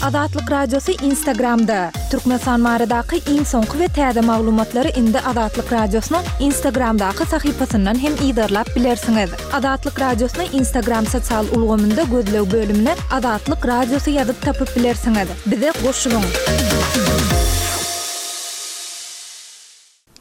Azatlyk Radiosy Instagramda, Türkmenistan baradaky iň soňky we täze maglumatlary indi Azatlyk Radiosynyň Instagramdaky sahypasyndan hem yzarlap bilersiňiz. Azatlyk Radiosyny Instagram sosial ulgamynda gözleg bölümine Azatlyk Radiosy ýazyp tapyp bilersiňiz. Bize goşulyň!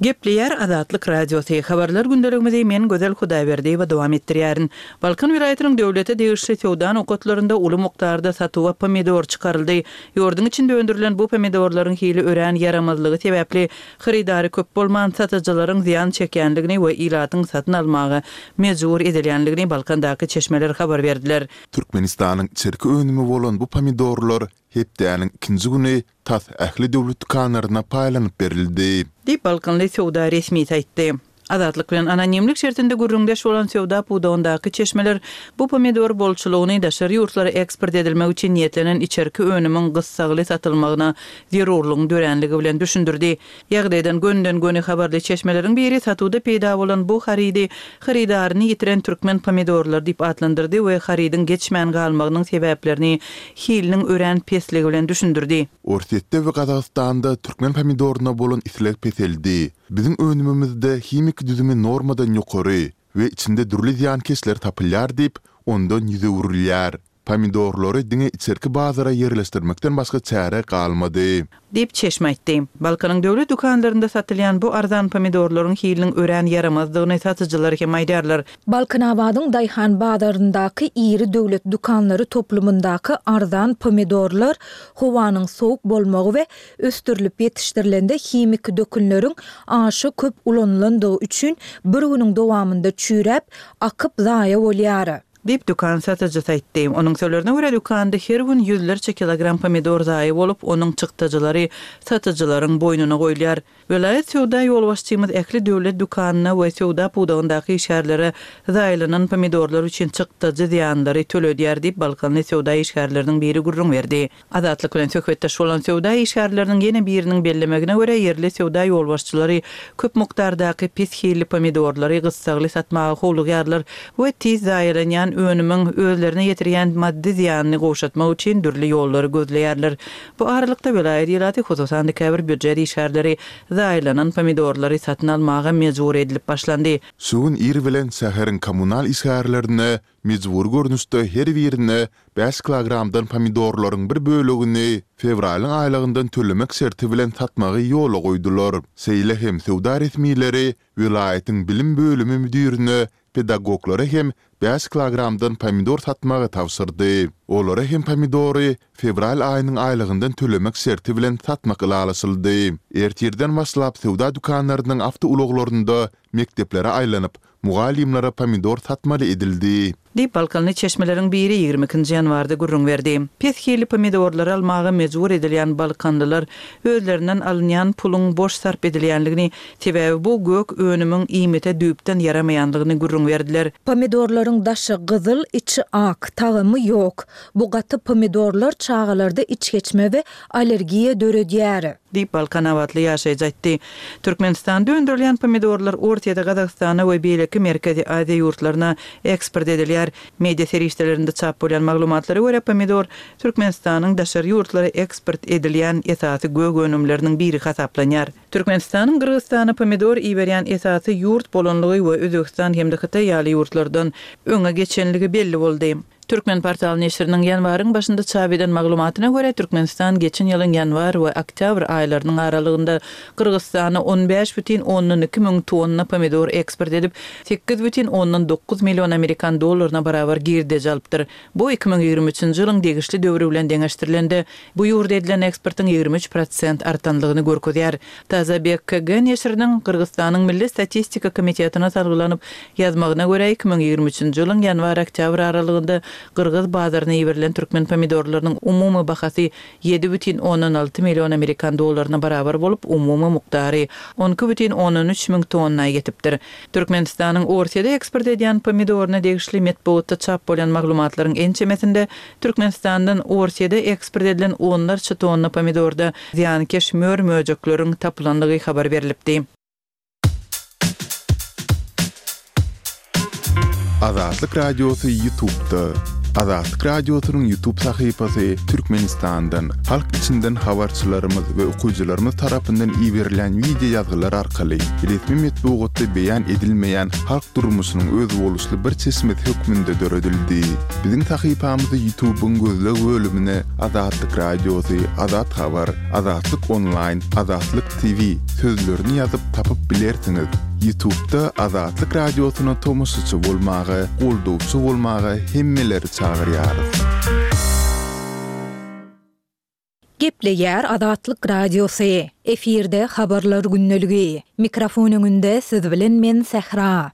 Gepleýär Azatlyk Radiosy, Habarlar gündeligimizi men Gözel Hudaýberdiýewa dowam etdirýärin. Balkan welaýatynyň döwlete degişli söwda nokatlarynda uly mukdarda satuwa pomidor çykaryldy. Ýurduň içinde öndürilen bu pomidorlaryň hili örän ýaramazlygy sebäpli, hyrydary köp bolman, satyjylaryň zyýan çekýändigini we ilatyň satyn almaga mejbur edilýändigini Balkandaky çeşmeler habar berdiler. Türkmenistanyň içerki önümi bolan bu pomidorlar hepdäniň ikinji güni tas ähli döwlet dükanlaryna paýlanyp berildi. Diýip, balkanly söwda resmisi aýtdy. Azatlyk bilen anonimlik şertinde gürrüňdeş bolan söwda pudagyndaky çeşmeler bu pomidor bolçulygyny daşary ýurtlara eksport edilmek üçin niýetlenen içerki önümiň gyssagly satylmagyna zerurlygyň döränligi bilen düşündirdi. Ýagdaýdan gönüden-göni habarly çeşmeleriň biri satuwda peýda bolan bu harydy hyrydaryny ýitiren türkmen pomidorlary diýip atlandyrdy we harydyň geçmän galmagynyň sebäplerini hiliniň örän pesligi bilen düşündirdi. Orsýetde we Gazagystanda türkmen pomidoryna bolan isleg peseldi. Biziň önümimizde himiki düzümi normadan ýokary we içinde dürli zyýankeşler tapylýar diýip, ondan ýüz öwrülýär. Pomidorlary diňe içerki bazara ýerleşdirmekden başga çäre galmady. Diýip, çeşme aýtdy. Balkanyň döwlet dükanlarynda satylýan bu arzan pomidorlaryň hiliniň örän ýaramazdygyny satyjylar hem aýdýarlar. Balkanabadyň daýhan bazaryndaky iri döwlet dükanlary toplumyndaky arzan pomidorlar howanyň sowuk bolmagy we ösdürilip ýetişdirilende himiki dökünleriň aşa köp ulanylandygy üçin bir günüň dowamynda çüýräp, akyp zaýa bolýar. Diýip, dükan satyjysy aýtdy. Onuň sözlerine görä, dükanda her gün ýüzlerçe kilogram pomidor zaýa bolup, onuň çykdajylary satyjylaryň boýnuna goýulýar. Welaýat söwda ýolbaşçymyz ähli döwlet dükanyna we söwda pudagyndaky işgärlere zaýalanan pomidorlar üçin çykdajy zyýanlary töledýär diýip, balkanly söwda işgärleriniň biri gürrüň berdi. Azatlyk bilen söhbetdeş bolan söwda işgärleriniň ýene biriniň bellemegine görä, ýerli söwda ýolbaşçylary köp mukdardaky pes hilli pomidorlary gyssagly satmaga howlugýarlar we tiz zaýalanýan önümiň özlerine ýetirýän maddy zyýanyny gowşatmak üçin dürli ýollary gözleýärler. Bu aralykda, welaýat ilaty, hususan-da käbir býujet işgärleri zaýalanan pomidorlary satyn almaga mejbur edilip başlandy. Şu gün ir bilen şäheriň kommunal işgärlerine Mejbury görnüşde her birine bäş kilogramdan pomidorlaryň bir bölegini fewralyň aýlygyndan tölemek şerti bilen satmagy ýola goýdular. Şeýle hem söwda resmileri welaýatyň bilim bölümi müdirine pedagoglara hem bäş kilogramdan pomidor satmagy tabşyrdy. Olara hem pomidory fewral aýynyň aýlygyndan tölemek şerti bilen satmak ylalaşyldy. Ertirden başlap söwda dükanlarynyň awtoulaglarynda mekdeplere aýlanyp, Mugallymlara pomidor satmaly edildi. Diýip, balkanly çeşmeleriň biri ýigrimi ikinji ýanwarda gürrüň berdi. Pes hilli pomidorlary almaga mejbur edilýän balkanlylar özlerinden alynýan puluň boş sarp edilýänligini, sebäbi bu gök önümiň iýmite düýpden ýaramaýanlygyny gürrüň berdiler. Pomidorlaryň daşy gyzyl, içi ak, tagamy ýok. Bu gaty pomidorlar çagalarda içgeçme we allergiýa döredýär. Diýip, balkanabatly ýaşaýjy aýtdy. Türkmenistanda öndürilýän pomidorlar Orsýete, Gazagystana we beýleki Merkezi Aziýa ýurtlaryna eksport edilýär. Media serişdelerinde çap bolýan maglumatlara görä, pomidor Türkmenistanyň daşary ýurtlara eksport edilýän esasy gök önümleriniň biri hasaplanýar. Türkmenistanyň Gyrgyzystana pomidor iberýän esasy ýurt bolanlygy we Özbegistan hem-de Hytaý ýaly ýurtlardan öňe geçenligi belli boldy. Türkmenportal neşiriniň ýanwaryň başynda çap eden maglumatyna görä, Türkmenistan geçen ýylyň ýanwar we oktýabr aýlarynyň aralygynda Gyrgyzystana 15,2 müň tonna pomidor eksport edip, 8,9 million amerikan dollaryna barabar girdeji alypdyr. Bu 2023-nji ýylyň degişli döwri bilen deňeşdirilende, bu ýurda edilen eksportyň 23 prosent artanlygyny görkezýär. Tazabek KG neşiriniň Gyrgyzystanyň Milli statistika komitetine salgylanyp ýazmagyna görä, 2023-nji ýylyň ýanwar-oktýabr aralygynda gyrgyz bazaryna iberilen türkmen pomidorlarynyň umumy bahasy 7,6 million amerikan dollaryna barabar bolup, umumy mukdary 12,3 müň tonna ýetipdir. Türkmenistanyň Orsýede eksport edýän pomidoryna degişli metbugatda çap bolýan maglumatlaryň ençemesinde Türkmenistandan Orsýede eksport edilen onlarça tonna pomidorda zyýankeş mör-möjekleriň tapylandygy habar berlipdi. Azatlyk Radiosy Ýutubda. Azatlyk Radiosynyň YouTube sahypasy Türkmenistandan, halk içinden habarçylarymyz we okyjylarymyz tarapyndan iberilýän wideo ýazgylar arkaly resmi metbugatda beýan edilmeýän halk durmuşynyň özboluşly bir çeşmesi hökmünde döredildi. Biziň sahypamyzy YouTube-yň gözleg bölümine Azatlyk Radiosy, Azat Habar, Azatlyk Onlaýn, Azatlyk TV sözlerini ýazyp tapyp bilersiňiz. Ýutubda Azatlyk Radiosyna tomaşaçy bolmaga, goldawçy bolmaga hemmeleri çagyrýarys. Gepleýär Azatlyk Radiosy, efirde Habarlar gündeligi. Mikrofon öňünde siz bilen men Sähra.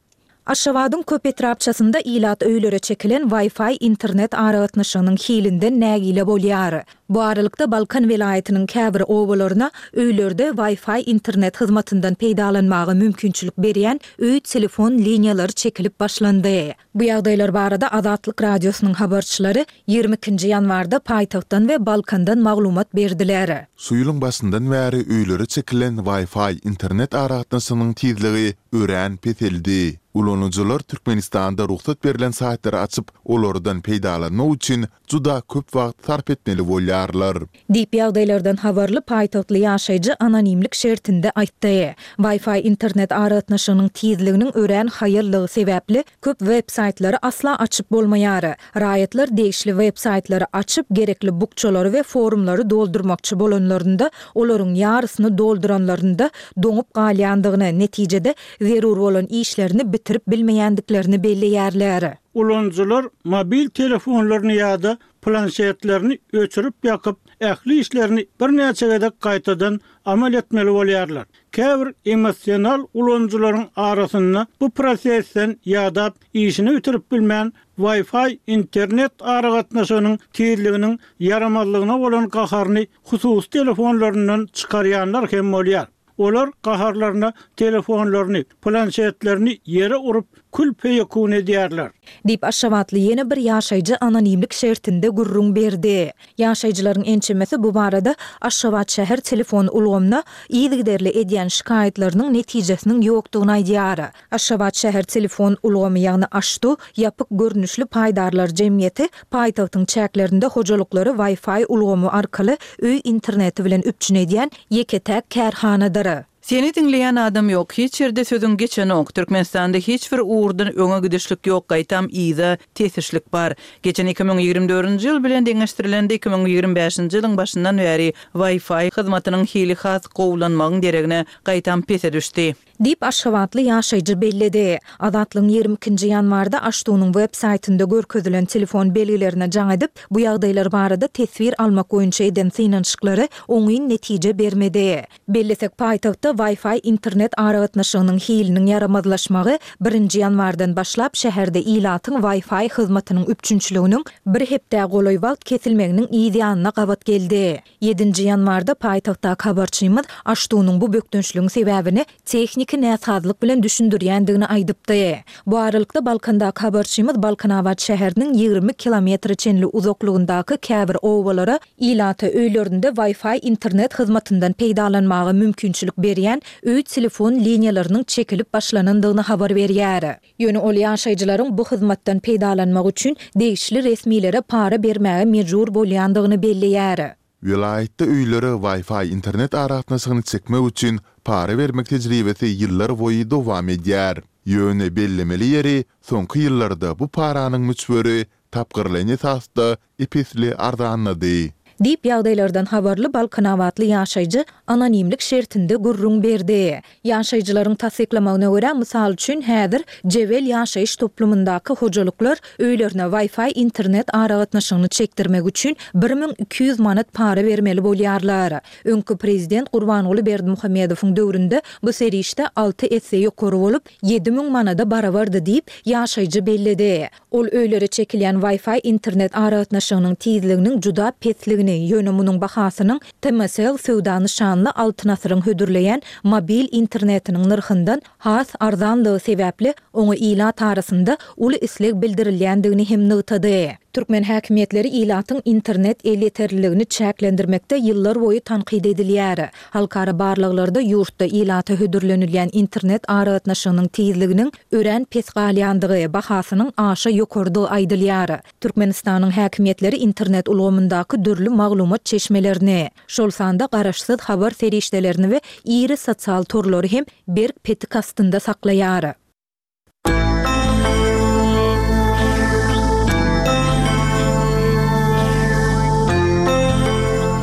Aşgabadyň köp etrapçasynda ilat öýlere çekilen Wi-Fi internet aragatnaşygynyň hilinden nägile bolýar. Bu aralykda Balkan welaýatynyň käbir obalaryna öýlerde Wi-Fi internet hyzmatyndan peýdalanmaga mümkinçilik berýän öý telefon liniýalary çekilip başlandy. Bu ýagdaýlar barada Azatlyk Radiosynyň habarçylary 22-nji ýanwarda paýtagtdan we Balkandan maglumat berdiler. Şu ýylyň başyndan bäri öýlere çekilen Wi-Fi internet aragatnaşygynyň tizligi örän peseldi. Ulanyjylar Türkmenistanda rugsat berlen saýtlary açyp, olardan peýdalanmak üçin juda köp wagt sarp etmeli bolýarlar. Diýip, ýagdaýlardan habarly paýtagtly ýaşaýjy anonimlik şertinde aýtdy. Wi-Fi internet aragatnaşygynyň tizliginiň örän haýallygy sebäpli, köp web-saýtlary asla açyp bolmaýar. Raýatlar degişli web-saýtlary açyp, gerekli bukjalary we forumlary doldurmakçy bolanlarynda, olaryň ýarysyny dolduranlarynda doňup galýandygyny, netijede, zerur bolan işlerini bitirip bilmeýändiklerini belleýärler. Ulanyjylar mobil telefonlaryny ýa-da planşetlerini öçürip-ýakyp, ähli işlerini birnäçe gezek gaýtadan amal etmeli bolýarlar. Käbir emosional ulanyjylaryň arasynda bu prosesden ýadap, işini bitirip bilmän, Wi-Fi internet aragatnaşygynyň tizliginiň ýaramazlygyna bolan gaharyny hususy telefonlaryndan çykarýanlar hem bolýar. Olar gaharlaryna telefonlaryny, planşetlerini ýere urup, kül-peýekun edýärler. Diýip, aşgabatly ýene bir ýaşaýjy anonimlik şertinde gürrüň berdi. Ýaşaýjylaryň ençemesi bu barada Aşgabat şäher telefon ulgamyna yzygiderli edýän şikaýatlarynyň netijesiniň ýokdugyny aýdýar. Aşgabat şäher telefon ulgamy, ýagny AŞTU, ýapyk görnüşli paýdarlar jemgyýeti paýtagtyň çäklerinde hojalyklary Wi-Fi ulgamy arkaly öý interneti bilen üpjün edýän ýeke-täk kärhanadyr. Seni diňleýän adam ýok, hiç ýerde sözüň geçenok. Türkmenistanda hiç bir ugurdan öňe gidişlik ýok, gaýtam yza tesişlik bar. Geçen 2024-nji ýyl bilen deňeşdirilende 2025-nji ýylyň başyndan bäri Wi-Fi hyzmatynyň hili has gowulanmagyň deregine, gaýtam pese düşdi. Diýip, aşgabatly ýaşaýjy belledi. Azatlygyň 22-nji ýanwarda AŞTU-nyň web saýtynda görkezilen telefon belgilerine jaň edip, bu ýagdaýlar barada teswir almak boýunça eden synanyşyklary oňyn netije bermedi. Bellesek, paýtagtda Wi-Fi internet aragatnaşygynyň hiliniň ýaramazlaşmagy birinji ýanwardan başlap şäherde ilatyň Wi-Fi hyzmatynyň üpjünçiliginiň bir hepdä golaý wagt kesilmeginiň yz ýanyna gabat geldi. Ýedinji ýanwarda paýtagtdaky habarçymyz AŞTU-nyň bu bökdençligiň sebäbini tehniki näsazlyk bilen düşündirýändigini aýdypdy. Bu aralykda, Balkandaky habarçymyz Balkanabat şäheriniň 20 kilometre çenli uzaklygyndaky käbir obalara ilata öýlerinde Wi-Fi internet hyzmatyndan peýdalanmaga mümkinçilik berýän öý telefon liniýalarynyň çekilip başlanandygyny habar berýär. Ýöne ol ýaşaýjylaryň bu hyzmatdan peýdalanmak üçin degişli resmilere para bermäge mejbur bolýandygyny belleýär. Welaýatda öýlere Wi-Fi internet aragatnaşygyny çekmek üçin para bermek tejribesi ýyllar boýy dowam edýär. Ýöne bellemeli ýeri, soňky ýyllarda bu paranyň möçberi tapgyrlaýyn esasda ep-esli arzanlady. Diýip, ýagdaýlardan habarly balkanabatly ýaşaýjy anonimlik şertinde gürrüň berdi. Ýaşaýjylaryň tassyklamagyna görä, mysal üçin, häzir Jebel ýaşaýyş toplumyndaky hojalyklar öýlerine Wi-Fi internet aragatnaşygyny çekdirmek üçin 1200 manat para bermeli bolýarlar. Öňki prezident Gurbanguly Berdimuhamedowyň döwründe bu serişde alty esse ýokary bolup, 7000 manada barabardy diýip, ýaşaýjy belledi. Ol öýlere çekilýän Wi-Fi internet aragatnaşygynyň tizliginiň juda pesligini, ýöne munuň bahasynyň TMCell söwda nyşanly Altyn Asyryň hödürleýän mobil internetiniň nyrhyndan has arzanlygy sebäpli, oňa ilat arasynda uly isleg bildirilýändigini hem nygtady. Türkmen häkimiýetleri ilatyň internet elýeterliligini çäklendirmekde ýyllarboýy tankyt edilýär. Halkara barlaglarda ýurtda ilata hödürlenilýän internet aragatnaşygynyň tizliginiň örän pes galýandygy, bahasynyň aşa ýokarydygy aýdylýar. Türkmenistanyň häkimiýetleri internet ulgamyndaky dürli maglumat çeşmelerini, şol sanda garaşsyz habar serişdelerini we iri sosial torlary hem berk petik astynda saklaýar.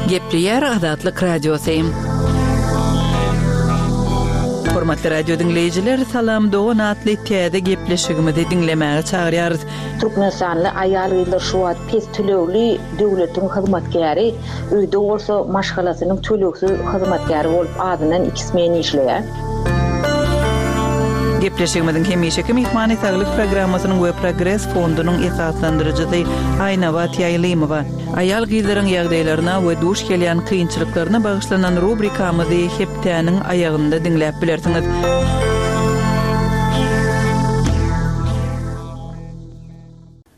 Gepleýär Azatlyk Radiosy. Hormatly radio diňleýjiler, Salam dogan atly täze gepleşigimizi diňlemäge çagyrýarys. Türkmenistanly aýal-gyzlar şu wagt pes tölegli döwletiň hyzmatkäri, öýde bolsa maşgalasynyň tölegsiz hyzmatkäri bolup azyndan iki smen işleýär. Gepleşigimiziň hemişeki myhmany Saglyk programmasynyň we Progres fondunyň esaslandyryjysy Aýnabat Ýaýlymowa. Aýal-gyzlaryň ýagdaýlaryna we duş gelýän kynçylyklaryna bagyşlanan rubrikamyzy hepdäniň aýagynda diňläp bilersiňiz.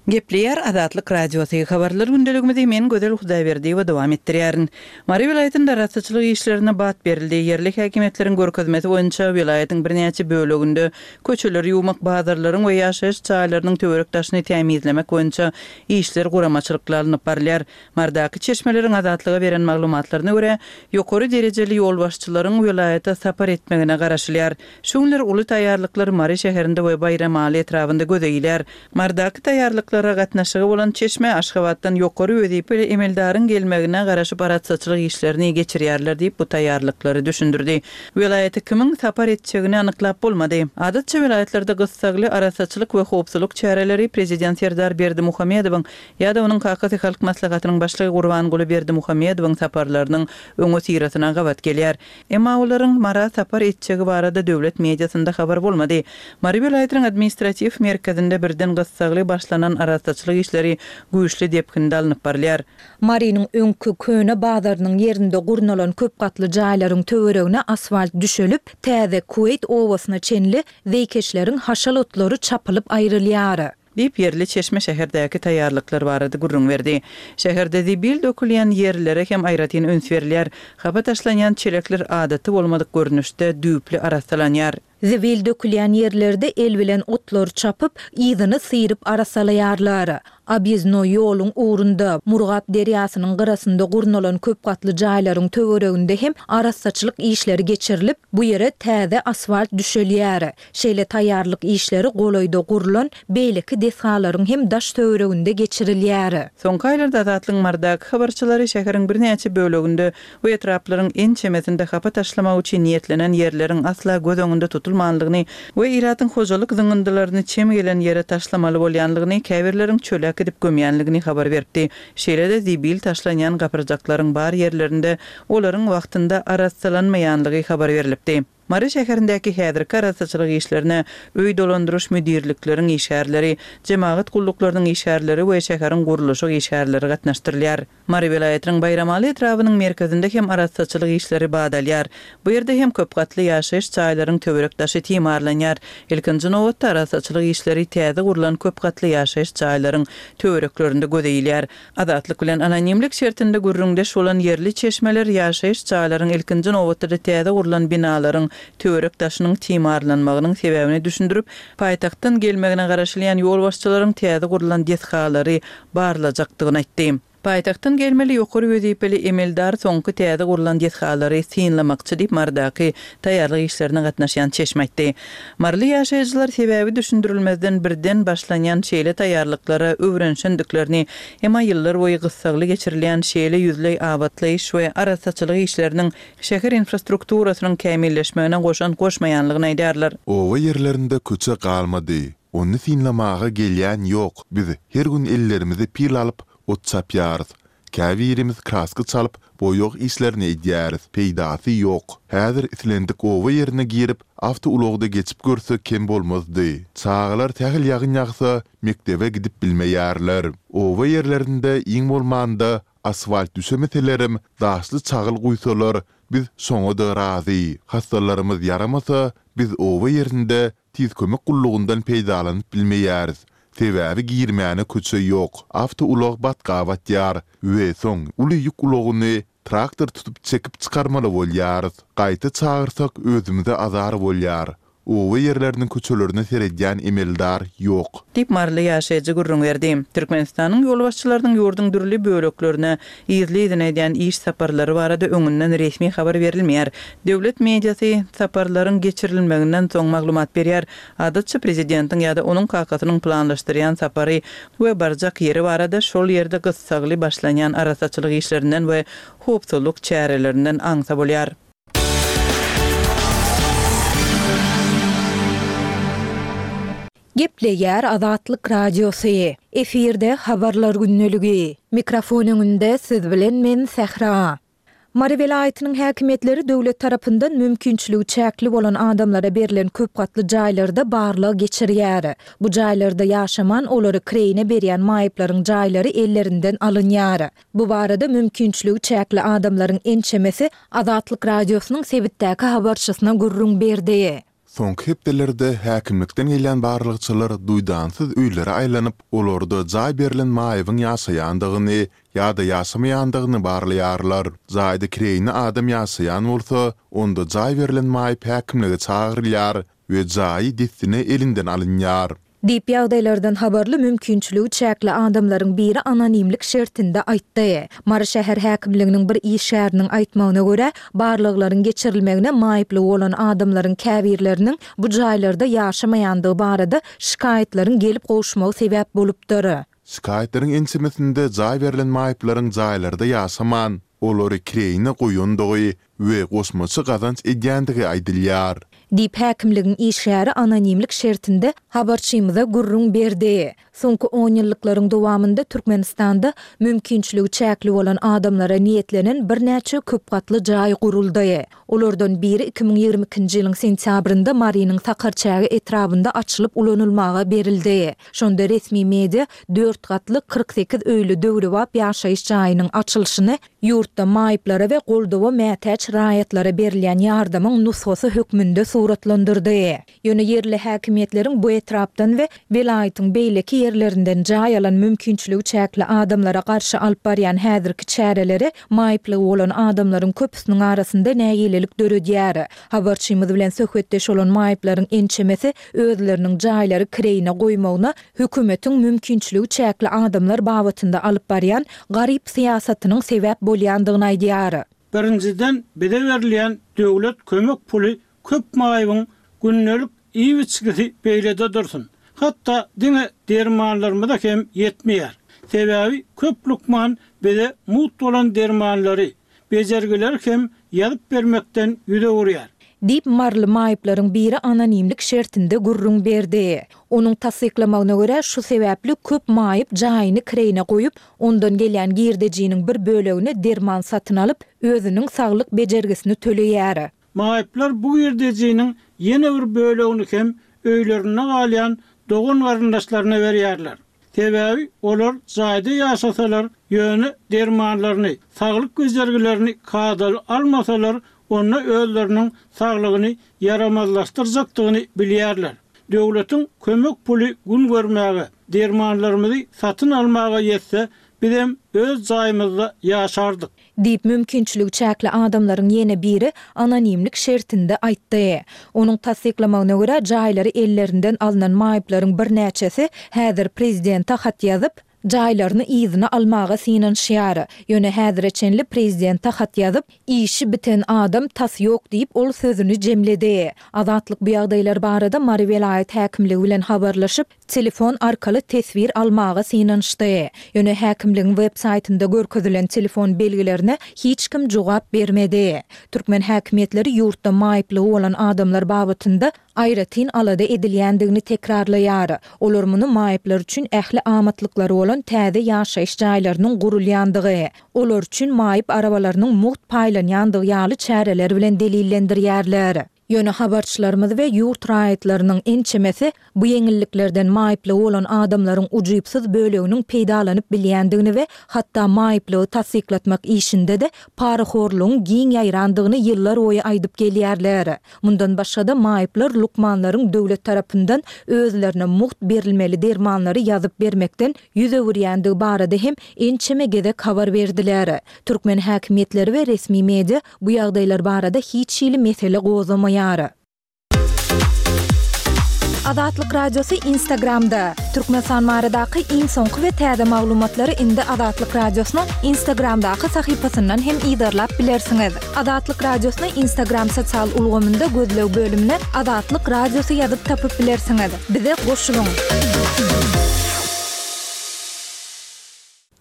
Gepleýär Azatlyk Radiosy, Habarlar gündeligimizi men Gözel Hudaýberdiýewa dowam etdirýärin. Mary welaýatynda arassaçylyk işlerine bat berildi. Ýerli häkimiýetleriň görkezmesi boýunça welaýatyň birnäçe böleginde köçeleri ýuwmak, bazarlaryň we ýaşaýyş jaýlarynyň töwerek-daşyny tämizlemek boýunça işler guramaçylykly alnyp barylýar. Marydaky çeşmeleriň Azatlyga beren maglumatlaryna görä, ýokary derejeli ýolbaşçylaryň welaýata sapar etmegine garaşylýar. Şu günler uly taýýarlyklar Mary şäherinde we Baýramaly etrabynda göze ilýär. Marydaky taýýarlyklara gatnaşygy bolan çeşme Aşgabatdan ýokary wezipeli emeldaryň gelmegine garaşyp arassaçylyk işlerini geçirýärler diýip, bu taýýarlyklary düşündirdi. Welaýata kimiň sapar etjegini anyklap bolmady. Adatça welaýatlarda gyssagly arassaçylyk we howpsuzlyk çäreleri prezident Serdar Berdimuhamedowyň ýa-da onuň kakasy Halk Maslahatynyň başlygy Gurbanguly Berdimuhamedowyň saparlarynyň öňüsyrasyna gabat gelýär. Emma olaryň Mara sapar etjegi barada döwlet mediasynda habar bolmady. Mary welaýatynyň administratiw merkezinde birden gyssagly başlanan arassaçylyk işleri güýçli depginde alnyp barylýar. Marynyň öňki köne bazarynyň ýerinde gurnalan köp gatly jaýlaryň töweregine asfalt düşelip, täze Kuweýt obasyna çenli zeýkeşleriň haşal otlary çapylyp aýrylýar. Diýip, ýerli çeşme şäherdäki taýýarlyklar barada gürrüň berdi. Şäherde zibil dökülýän ýerlere hem aýratyn üns berilýär. Hapa taşlanýan çelekler adaty bolmadyk görnüşde düýpli arassalanýar. Zibil dökülýän ýerlerde el bilen otlary çapyp, yzyny syryp arassalaýarlar. Obýezdnoý ýoluň ugrunda, Murgap derýasynyň gyrasynda gurnalan köp gatly jaýlaryň töwereginde hem arassaçylyk işleri geçirilip, bu ýere täze asfalt düşelýär. Şeýle taýýarlyk işleri golaýda gurlan beýleki desgalaryň hem daş-töwereginde geçirilýär. Soňky aýlarda Azatlygyň Marydaky habarçylary şäheriň birnäçe böleginde we etraplaryň ençemesinde hapa taşlamak üçin niýetlenen ýerleriň asla göz öňünde tutulmanlygyny we ilatyň hojalyk zyňyndylaryny çem gelen ýere taşlamaly bolýanlygyny, käbirleriň çöle äkidip gömýänligini habar beripdi. Şeýle-de zibil taşlanýan gapyrjaklaryň bar ýerlerinde olaryň wagtynda arassalanmaýanlygy habar berlipdi. Mary şäherindäki häzirki arassaçylyk işlerine öý dolandyryş müdirlikleriň işgärleri, jemagat gulluklarynyň işgärleri we şäheriň gurluşyk işgärleri gatnaşdyrylýar. Mary welaýatynyň Baýramaly etrabynyň merkezinde hem arassaçylyk işleri bat alýar. Bu ýerde hem köp gatly ýaşaýyş jaýlaryň töwerek-daşy timarlanýar. Ilkinji nobatda arassaçylyk işleri täze gurlan köp gatly ýaşaýyş jaýlaryň töwereklerinde göze ilýär. Azatlyk bilen anonimlik şertinde gürrüňdeş bolan ýerli çeşmeler ýaşaýyş jaýlaryň ilkinji nobatda-da täze gurlan binalaryň töwerek-daşynyň timarlanmagynyň sebäbini düşündirip, paýtagtdan gelmegine garaşylýan ýolbaşçylaryň täze gurlan desgalary barlajakdygyny aýtdy. Paýtagtdan gelmeli ýokary wezipeli emeldar soňky täze gurlan desgalary synlamakçy diýip, Marydaky taýýarlyk işlerine gatnaşýan çeşme aýtdy. Maryly ýaşaýjylar sebäbi düşündirilmezden birden başlanýan şeýle taýýarlyklara öwrenişendiklerini, emma ýyllarboýy gyssagly geçirilýän şeýle ýüzleý abatlaýyş we arassaçylyk işleriniň şäher infrastrukturasynyň kämilleşmegine goşant goşmaýanlygyny aýdýarlar. Oba ýerlerinde köçe galmady. Ony synlamaga gelýän ýok. Biz her gün ellerimize pil alyp, ot çapýarys. Käbirimiz kraska çalyp, boýag işlerini edýäris. Peýdasy ýok. Häzir islendik oba ýerine girip, awtoulagda geçip görsek kem bolmazdy. Çagalar sähel ýagyn ýagsa, mekdebe gidip bilmeýärler. Oba ýerlerinde iň bolmanda asfalt düşemeselerem, daşly çagyl guýsalar, biz şoňa-da razy. Hassalarymyz ýaramasa, biz oba ýerinde Tiz kömek gullugyndan peýdalanyp bilmeýäris. Sebäbi girmäne köçe ýok, awtoulag batga batýar we soň uly ýük ulagyny traktor tutup çekip çykarmaly bolýarys. Gaýta çagyrsak özümize azar bolýar. Oba ýerleriniň köçelerine seredýän emeldar ýok. Diýip, maryly ýaşaýjy gürrüň berdi. Türkmenistanyň ýolbaşçylarynyň ýurduň dürli böleklerine yzly-yzyna edýän iş saparlary barada öňünden resmi habar berilmeýär. Döwlet mediasy saparlaryň geçirilmeginden soň maglumat berýär. Adatça, prezidentiň ýa-da onuň kakasynyň planlaşdyrýan sapary we barjak ýeri barada şol ýerde gyssagly başlanýan arassaçylyk işlerinden we howpsuzlyk çärelerinden aňsa bolýar. Gepleýär Azatlyk Radiosy. Efirde Habarlar gündeligi. Mikrofon öňünde siz bilen men Sähra. Mary welaýatynyň häkimiýetleri döwlet tarapyndan mümkinçiligi çäkli bolan adamlara berlen köp gatly jaýlarda barlag geçirýär. Bu jaýlarda ýaşaman, olary kireýine berýän maýyplaryň jaýlary ellerinden alynýar. Bu barada mümkinçiligi çäkli adamlaryň ençemesi Azatlyk Radiosynyň sebitdäki habarçysyna gürrüň berdi. Soňky hepdelerde häkimlikden gelýän barlagçylar duýdansyz öýlere aýlanyp, olarda jaý berlen maýybyň ýaşaýandygyny ýa-da ýaşamaýandygyny barlaýarlar. Jaýda kireýine adam ýaşaýan bolsa, onda jaý berlen maýyp häkimlige çagyrylýar we jaýy dessine elinden alynýar. Diýip, ýagdaýlardan habarly mümkinçiligi çäkli adamlaryň biri anonimlik şertinde aýtdy. Mary şäher häkimliginiň bir işgäriniň aýtmagyna görä, barlaglaryň geçirilmegine maýyplygy bolan adamlaryň käbirleriniň bu jaýlarda ýaşamaýandygy barada şikaýatlaryň gelip gowuşmagy sebäp bolupdyr. Şikaýatlaryň ençemesinde jaý berlen maýyplaryň jaýlarda ýaşaman, olary kireýine goýandygy we goşmaça gazanç edýändigi aýdylýar. Diýip, häkimligiň işgäri anonimlik şertinde habarçymyza gürrüň berdi. Soňky onýyllyklaryň dowamynda Türkmenistanda mümkinçiligi çäkli bolan adamlara niýetlenen birnäçe köpgatly jaý guruldy. Olardan biri 2022-nji ýylyň sentýabrynda Marynyň Sakarçäge etrabynda açylyp ulanylmaga berildi. Şonda resmi media dört gatly 48 öýli döwrebap ýaşaýyş jaýynyň açylyşyny Ýurtda maýyplara we goldawa mätäç raýatlara berilýän ýardamyň nusgasy hökmünde suratlandyrdy. Ýöne ýerli häkimiýetleriň bu etrapdan we welaýatyň beýleki ýerlerinden jaý alan mümkinçiligi çäkli adamlara garşy alyp barýan häzirki çäreleri maýyplygy bolan adamlaryň köpüsiniň arasynda nägilelik döredýär. Habarçymyz bilen söhbetdeş bolan maýyplaryň ençemesi özleriniň jaýlary kireýine goýmagyna hökümetiň mümkinçiligi çäkli adamlar babatynda alyp barýan garyp syýasatynyň sebäp bolýandygyny aýdýar. Birinjiden bize berilýän döwlet kömek puly köp maýybyň gündelik iýip-içgisi beýlede dursun, hatda diňe dermanlarymyza hem ýetmeýär. Sebäbi köp lukman bize mugt bolan dermanlary, bejergileri hem ýazyp bermekden ýüz öwürýär. Diýip, maryly maýyplaryň biri anonimlik şertinde gürrüň berdi. Onuň tassyklamagyna görä, şu sebäpli köp maýyp jaýyny kireýine goýup, ondan gelýän girdejiniň bir bölegine derman satyn alyp, özüniň saglyk bejergisini töleýär. Maýyplar bu girdejiniň ýene bir bölegini hem öýlerinde galýan dogan-garyndaşlaryna berýärler. Sebäbi olar jaýda ýaşasalar, ýöne dermanlaryny, saglyk bejergilerini kadaly almasalar, onda özleriniň saglygyny ýaramazlaşdyrjakdygyny bilýärler. Döwletiň kömek puly gün görmäge, dermanlarymyzy satyn almaga ýetse, bizem öz jaýymyzda ýaşardyk. Diýip, mümkinçiligi çäkli adamlaryň ýene biri anonimlik şertinde aýtdy. Onuň tassyklamagyna görä, jaýlary ellerinden alnan maýyplaryň birnäçesi häzir prezidente hat ýazyp, jaýlaryny yzyna almaga synanyşýar. Ýöne häzire çenli prezidente hat ýazyp, işi biten adam tas ýok diýip, ol sözüni jemledi. Azatlyk bu ýagdaýlar barada Mary welaýat häkimligi bilen habarlaşyp, telefon arkaly teswir almaga synanyşdy. Ýöne häkimligiň web saýtynda görkezilen telefon belgilerine hiç kim jogap bermedi. Türkmen häkimiýetleri ýurtda maýyplygy bolan adamlar babatynda aýratyn alada edilýändigini tekrarlaýar. Olar muny maýyplar üçin ähli amatlyklary bolan täze ýaşaýyş jaýlarynyň gurulýandygy, olar üçin maýyp arabalarynyň mugt paýlanýandygy ýaly çäreler bilen delillendirýärler. Ýöne habarçylarymyz we ýurt raýatlarynyň ençemesi bu ýeňilliklerden maýyplygy bolan adamlaryň ujypsyz böleginiň peýdalanyp bilýändigini we hatda maýyplygy tassyklatmak işinde-de parahorlugyň giň ýaýrandygyny ýyllarboýy aýdyp gelýärler. Mundan başga-da maýyplar lukmanlaryň döwlet tarapyndan özlerine mugt berilmeli dermanlary ýazyp bermekden ýüz öwürýändigi barada hem ençeme gezek habar berdiler. Türkmen häkimiýetleri we resmi media bu ýagdaýlar barada hiç hili mesele gozgamaýar. Azatlyk Radiosy Instagramda, Türkmenistan baradaky iň soňky we täze maglumatlary indi Azatlyk Radiosynyň Instagramdaky sahypasyndan hem yzarlap bilersiňiz. Azatlyk Radiosyny Instagram sosial ulgamynda gözleg bölümine Azatlyk Radiosy ýazyp tapyp bilersiňiz. Bize goşulyň!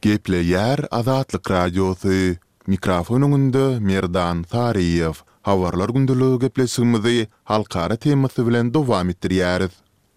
Gepleýär Azatlyk Radiosy, Mikrofon öňünde Merdan Saryýew. Habarlar gündeligi gepleşigimizi halkara temasy bilen dowam etdirýäris.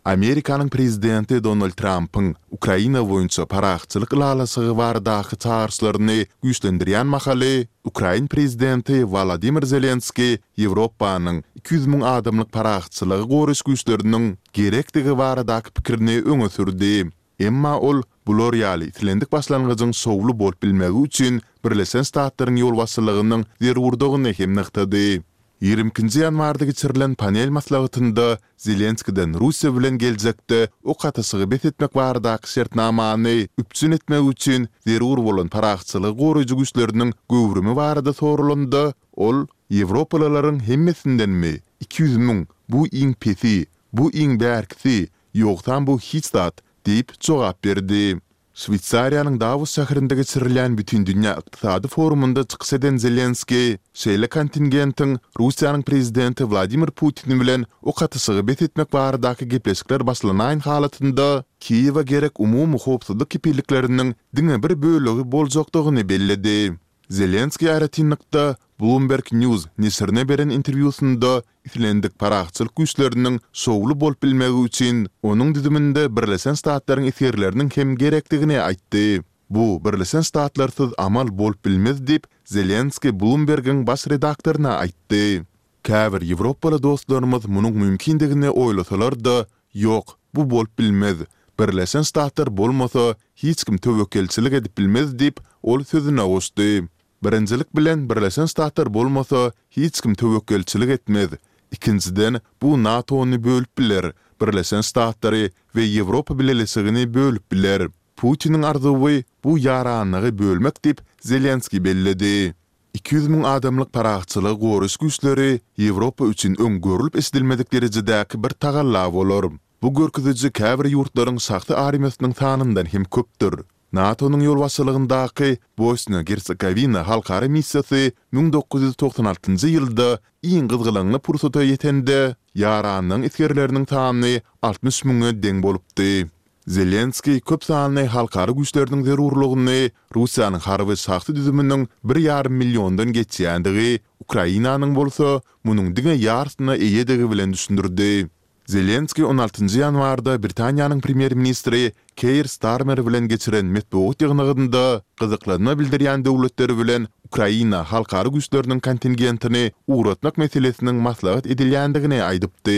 Amerikanyň prezidenti Donald Trampyň Ukraina boýunça parahatçylyk ylalaşygy baradaky çagyryşlaryny güýçlendirýän mahaly, ukrain prezidenti Wolodymyr Zelenskiý Ýewropanyň 200 müň adamlyk parahatçylygy goraýyş güýçleriniň gerekdigi baradaky pikirini öňe sürdi. Emma ol bular ýaly islendik başlangyjyň şowly bolup bilmegi üçin Birleşen Ştatlaryň ýolbaşçylygynyň zerurdygyny hem nygtady. Ýigrimi ikinji ýanwarda geçirilen panel maslahatynda Zelenskiden Russiýa bilen geljekde ok atyşygy bes etmek baradaky şertnamany üpjün etmek üçin zerur bolan parahatçylygy goraýjy güýçleriniň göwrümi barada soralanda, ol, Ýewropalylaryň hemmesindenmi? 200 müň, bu iň pesi, bu iň bärkisi, Ýogsam bu hiç zat, diýip jogap berdi. Şweýsariýanyň Dawos şäherinde geçirilýän Bütindünýä ykdysady forumynda çykyş eden Zelenskiý şeýle kontingentiň Russiýanyň prezidenti Wladimir Putin bilen ok atyşygy bes etmek baradaky gepleşikler başlanaýan halatynda Kiýewe gerek umumy howpsuzlyk kepillikleriniň diňe bir bölegi boljakdygyny belledi. Zelenskiý aýratynlykda Bloomberg News neşirine beren interwýusynda islendik parahatçylyk güýçleriniň şowly bolup bilmegi üçin onuň düzüminde Birleşen Ştatlaryň esgerleriniň hem gerekdigini aýtdy. Bu Birleşen Ştatlarsyz amal bolup bilmez diýip, Zelenskiý Bloomberg-iň baş redaktoryna aýtdy. Käbir ýewropaly dostlarymyz munuň mümkindigini oýlasalar-da, ýok, bu bolup bilmez. Birleşen Ştatlar bolmasa, hiç kim töwekgelçilik edip bilmez diýip, ol sözüne goşdy. Birinjilik bilen, Birleşen Ştatlar bolmasa, hiç kim töwekgelçilik etmez. Ikinjiden, bu NATO-ny bölüp biler, Birleşen Ştatlary we Ýewropa Bileleşigini bölüp biler. Putiniň arzuwy, bu ýaranlygy bölmek diýip, Zelenskiý belledi. 200 müň adamlyk parahatçylygy goraýyş güýçleri Ýewropa üçin öň görlüp-eşidilmedik derejedäki bir tagalla bolar. Bu görkeziji käbir ýurtlaryň şahsy armiýasynyň sanyndan hem köpdür. NATO-nyň ýolbaşçylygyndaky Bosniýa-Gersegowina halkara missiýasy 1996 ýylda iň gyzgalaňly pursata ýetende, ýaranlygyň esgerleriniň sany 60 müňe deň bolupdy. Zelenskiý köp sanly halkara güýçleriniň zerurlygyny Russiýanyň harby şahsy düzüminiň bir ýarym milliondan geçýändigi, Ukrainanyň bolsa munuň diňe ýarsyna eýedigi bilen düşündirdi. Zelenskiý on altynjy ýanwarda Britaniýanyň premýer-ministri Keir Starmer bilen geçiren metbugat ýygnagynda gyzyklanma bildirýän döwletler bilen Ukraina halkara güýçleriniň kontingentini ugratmak meselesiniň maslahat edilýändigini aýdypdy.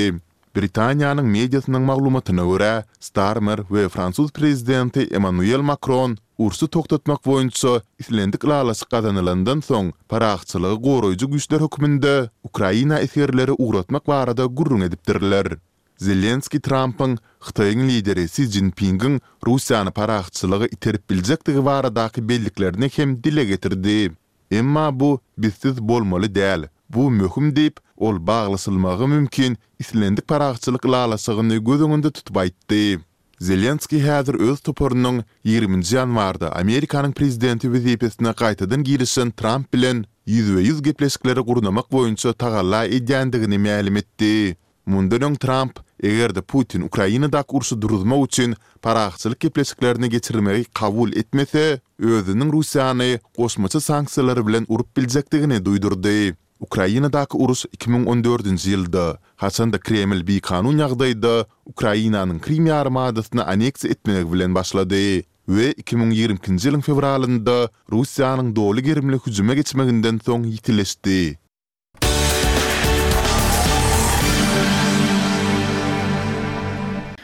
Britaniýanyň mediasynyň maglumatyna görä, Starmer we fransuz prezidenti Emmanuel Makron urşy togtatmak boýunça islendik ylalaşyk gazanylandan soň parahatçylygy goraýjy güýçler hökmünde Ukraina esgerleri ugratmak barada gürrüň edipdirler. Zelenskiý Trampyň Hytaýyň lideri Si Szinpingiň Russiýany parahatçylyga iterip biljekdigi baradaky belliklerini hem dile getirdi. Emma bu bizsiz bolmaly däl, bu möhüm diýip, ol baglaşylmagy mümkin islendik parahatçylyk ylalaşygyny göz öňünde tutup aýtdy. Zelenskiý häzir öz toparynyň ýigriminji ýanwarda Amerikanyň prezidenti wezipesine gaýtadan girişen Tramp bilen ýüzbe-ýüz gepleşikleri gurnamak boýunça tagalla edýändigini mälim etdi. Mundan öň Tramp, eger-de Putin Ukrainadaky urşy duruzmak üçin parahatçylyk gepleşiklerini geçirmegi kabul etmese, özüniň Russiýany goşmaça sanksiýalar bilen urup biljekdigini duýdurdy. Ukrainadaky uruş 2014-nji ýylda, haçan-da Kreml bikanun ýagdaýda Ukrainanyň Krym ýarymadasyny anneksiýa etmegi bilen başlady we 2022-nji ýylyň fewralynda Russiýanyň doly gerimli hüjüme geçmeginden soň ýitileşdi.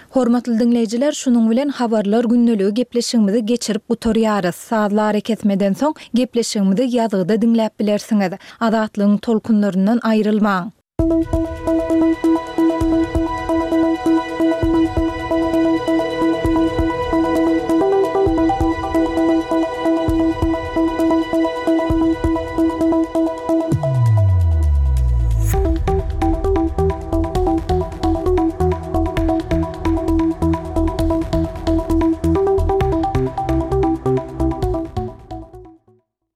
Hormatly diňleýjiler, şunuň bilen Habarlar gündeligi gepleşigimizi geçirip gutarýarys. Sazly arakesmeden soň gepleşigimizi ýazgyda diňläp bilersiňiz. Azatlygyň tolkunlaryndan aýrylmaň!